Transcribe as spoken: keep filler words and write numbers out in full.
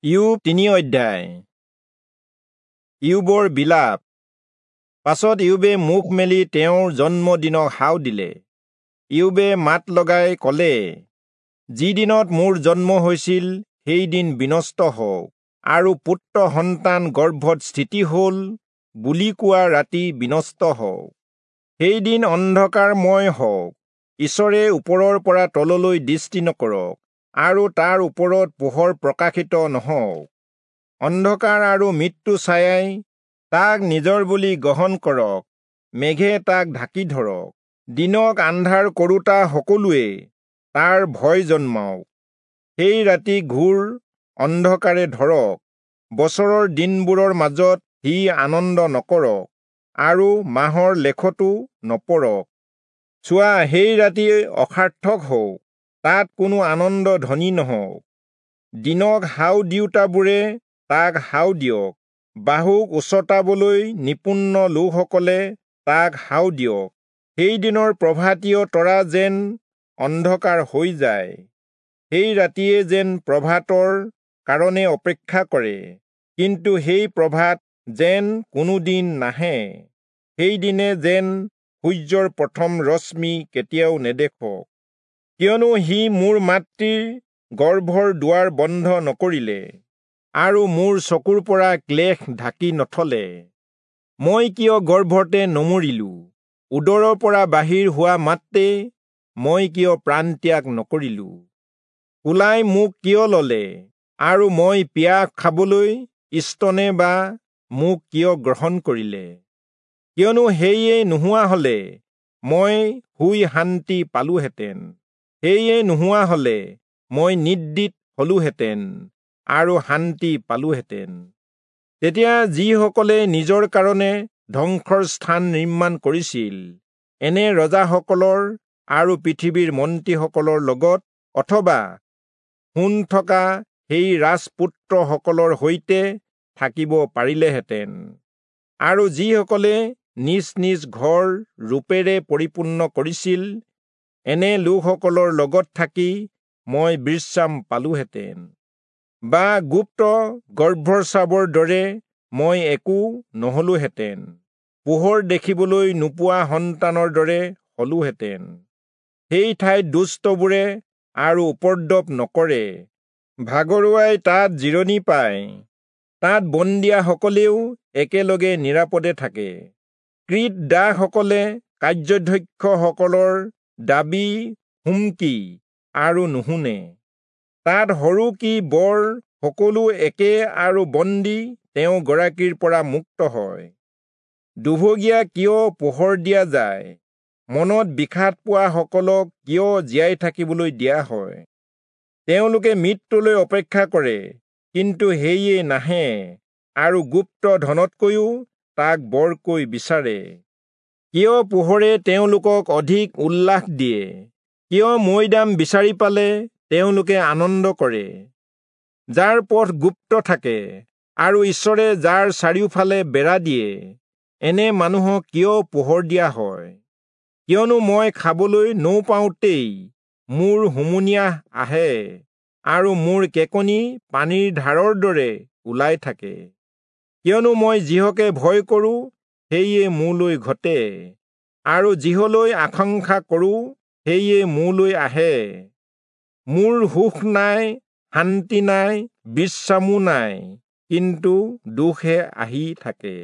ইয়োব তিনি অধ্যায়। ইয়োবৰ বিলাপ। পাছত ইয়োবে মুখ মেলি তেওঁৰ জন্মদিনক হাও দিলে। ইয়োবে মাত লগাই কলে, যি দিনত মোৰ জন্ম হৈছিল সেই দিন বিনষ্ট হওক, আৰু পুত্ৰ সন্তান গৰ্ভত স্থিতি হল বুলি কোৱা ৰাতি বিনষ্ট হওক। সেই দিন অন্ধকাৰময় হওক, ঈশ্বৰে ওপৰৰ পৰা তললৈ দৃষ্টি নকৰক, আৰু তাৰ ওপৰত পোহৰ প্ৰকাশিত নহওক। অন্ধকাৰ আৰু মৃত্যু ছায়াই তাক নিজৰ বুলি গ্ৰহণ কৰক, মেঘে তাক ঢাকি ধৰক। দিনক আন্ধাৰ কৰোঁতা সকলোৱে তাৰ ভয় জন্মাওক, সেই ৰাতি ঘোৰ অন্ধকাৰে ধৰক। বছৰৰ দিনবোৰৰ মাজত সি আনন্দ নকৰক, আৰু মাহৰ লেখতো নপৰক। চোৱা, সেই ৰাতি অসাৰ্থক হওক, তাত কোনো আনন্দ ধ্বনি নহওক। দিনক হাও দিওঁতাবোৰে তাক হাও দিয়ক, বাহুক উচটাবলৈ নিপুণ লোকসকলে তাক হাও দিয়ক। সেই দিনৰ প্ৰভাতীয় তৰা যেন অন্ধকাৰ হৈ যায়, সেই ৰাতিয়ে যেন প্ৰভাতৰ কাৰণে অপেক্ষা কৰে, কিন্তু সেই প্ৰভাত যেন কোনোদিন নাহে। সেই দিনে যেন সূৰ্যৰ প্ৰথম ৰশ্মি কেতিয়াও নেদেখক। কিয়নো সি মোৰ মাতৃৰ গৰ্ভৰ দুৱাৰ বন্ধ নকৰিলে, আৰু মোৰ চকুৰ পৰা ক্লেশ ঢাকি নথলে। মই কিয় গৰ্ভতে নমৰিলো? উদৰৰ পৰা বাহিৰ হোৱা মাত্ৰে মই কিয় প্ৰাণত্যাগ নকৰিলো? কোলাই মোক কিয় ললে, আৰু মই পিয়াহ খাবলৈ স্তনে বা মোক কিয় গ্ৰহণ কৰিলে? কিয়নো সেয়ে নোহোৱা হলে মই শুই শান্তি পালোহেঁতেন, সেয়ে নোহোৱা হলে মই নিদ্ৰিত হলোহেঁতেন আৰু শান্তি পালোহেঁতেন। তেতিয়া যিসকলে নিজৰ কাৰণে ধ্বংসৰ স্থান নিৰ্মাণ কৰিছিল, এনে ৰজাসকলৰ আৰু পৃথিৱীৰ মন্ত্ৰীসকলৰ লগত, অথবা সোণ থকা সেই ৰাজপুত্ৰসকলৰ সৈতে থাকিব পাৰিলেহেঁতেন। আৰু যিসকলে নিজ নিজ ঘৰ ৰূপেৰে পৰিপূৰ্ণ কৰিছিল, এনে লোকসকলৰ লগত থাকি মই বিশ্ৰাম পালোহেঁতেন। বা গুপ্ত গৰ্ভস্ৰাৱৰ দৰে মই একো নহলোহেঁতেন, পোহৰ দেখিবলৈ নোপোৱা সন্তানৰ দৰে হলোহেঁতেন। সেই ঠাইত দুষ্টবোৰে আৰু উপদ্ৰৱ নকৰে, ভাগৰুৱাই তাত জিৰণি পায়, তাত বন্দীয়াসকলেও একেলগে নিৰাপদে থাকে। কৃত দাসসকলে কাৰ্যাধ্যক্ষসকলৰ দাবী হুমকি আৰু নুশুনে। তাত সৰু কি বৰ সকলো একে, আৰু বন্দী তেওঁ গৰাকীৰ পৰা মুক্ত হয়। দুভগীয়া কিয় পোহৰ দিয়া যায়? মনত বিষাদ পোৱাসকলক কিয় জীয়াই থাকিবলৈ দিয়া হয়? তেওঁলোকে মৃত্যুলৈ অপেক্ষা কৰে, কিন্তু সেয়ে নাহে, আৰু গুপ্ত ধনতকৈও তাক বৰকৈ বিচাৰে। কিয় পোহৰে তেওঁলোকক অধিক উল্লাস দিয়ে? কিয় মৈদাম বিচাৰি পালে তেওঁলোকে আনন্দ কৰে? যাৰ পথ গুপ্ত থাকে, আৰু ঈশ্বৰে যাৰ চাৰিওফালে বেৰা দিয়ে, এনে মানুহক কিয় পোহৰ দিয়া হয়? কিয়নো মই খাবলৈ নৌপাওঁতেই মোৰ হুমুনিয়াহ আহে, আৰু মোৰ কেকনি পানীৰ ধাৰৰ দৰে ওলাই থাকে। কিয়নো মই যিহকে ভয় কৰোঁ সেয়ে মোলৈ ঘটে, আৰু যিহলৈ আকাংক্ষা কৰোঁ সেয়ে মোলৈ আহে। মোৰ সুখ নাই, শান্তি নাই, বিশ্ৰামো নাই, কিন্তু দুখহে আহি থাকে।